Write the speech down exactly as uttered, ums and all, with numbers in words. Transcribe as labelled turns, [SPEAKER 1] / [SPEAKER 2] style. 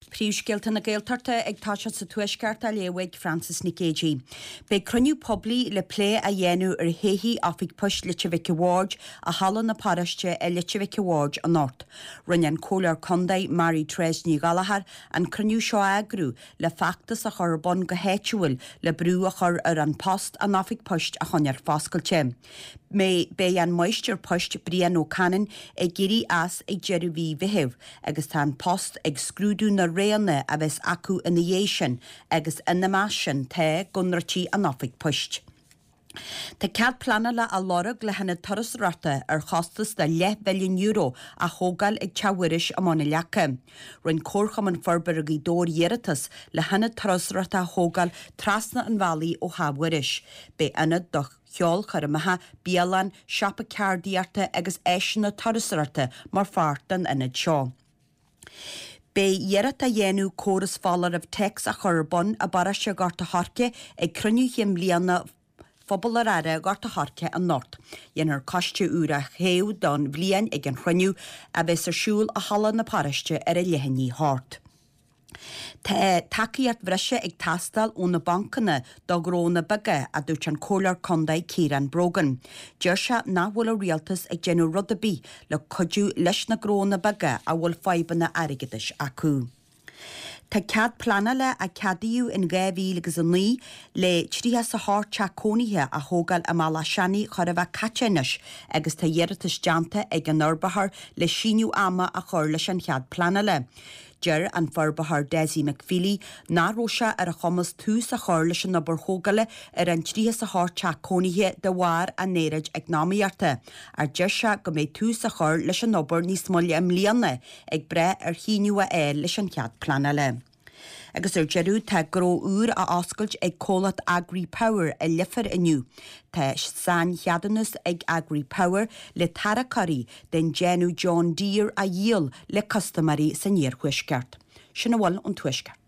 [SPEAKER 1] Príomhscéalta na Gaeltachta ag toiseacht sa Tuaisceart á léamh ag Frances Nic Géadaigh. Beidh cruinniú poiblí le plé a dhéanamh ar thodhchaí Oifig Poist Leitir Mhic a' Bhaird i Halla na Paróiste i Leitir Mhic a' Bhaird anocht. Rinne an Comhairleoir Contae Mary Therese Ní Ghallchóir an cruinniú seo a eagrú le feachtas a chur ar bun go háitiúil le brú a chur ar An Post an Oifig Poist a choinneáil foscailte. Beidh an Máistir Poist Brian Ó Canainn ag éirí as ag deireadh mhí Mheithimh agus tá An Post ag scrúdú na roghanna a bheas acu ina dhiaidh sin agus ina measc sin tá go ndruidfí an oifig poist. Tá cead pleanála á lorg le hionad turasóireachta ar chostas de leathmhilliún euro a thógáil ag Teach Mhuiris i mBun an Leaca. Rinne Comharchumann Forbartha Ghaoth Dobhair iarratas le hionad turasóireachta a thógáil trasna an bhealaigh ó Theach Mhuiris. Beidh ionad do cheolchoirmeacha, bialann, siopa ceardaíochta agus áiseanna turasóireachta mar pháirt den ionad seo. Beidh iarracht á dhéanamh córas foláirimh téacs a chur ar bun i bparóiste Ghort a' Choirce ag cruinniú chinn bliana Phobal ar Aire Ghort a' Choirce anocht. Déanfar coiste úr a thoghadh don bhliain ag an chruinniú a bheas ar siúl i Halla na Paróiste ar a leath i ndiaidh a hocht. Tá tacaíocht bhreise ag teastáil ó na bancanna do ghnónna beaga, a dúirt an Comhairleoir Contae Ciarán Brogan. Deir sé nach bhfuil an rialtas ag déanamh rud ar bith le cuidiú leis na gnónna beaga a bhfuil fadhbanna airgeadais acu. Tá cead pleanála a ceadaíodh in dhá mhíle agus a naoi le tríocha is a hocht teach cónaithe a thógáil i mBealach Seanaidh chóir a bheith caite anois agus tá iarratas déanta ag an fhorbróir le síneadh ama a chur leis an chead pleanála. Deir an forbróir Dessie McFeely nach raibh sé ar a chumas tús a chur leis an obair thógála ar an tríocha is a hocht teach cónaithe de bharr an aeráid eacnamaíochta, ach deir sé go mbeidh tús á chur leis an obair níos moille i mbliana, ag brath ar shíneadh a fháil leis an chead pleanála. Agus ar deireadh, tá gnó úr á oscailt ag comhlacht Agri Power i Leifear inniu. Tá saincheadúnas ag Agri Power le tarracóirí den déanamh John Deere a dhíol le custaiméirí san iarthuaisceart. Sin a bhfuil ón Tuaisceart.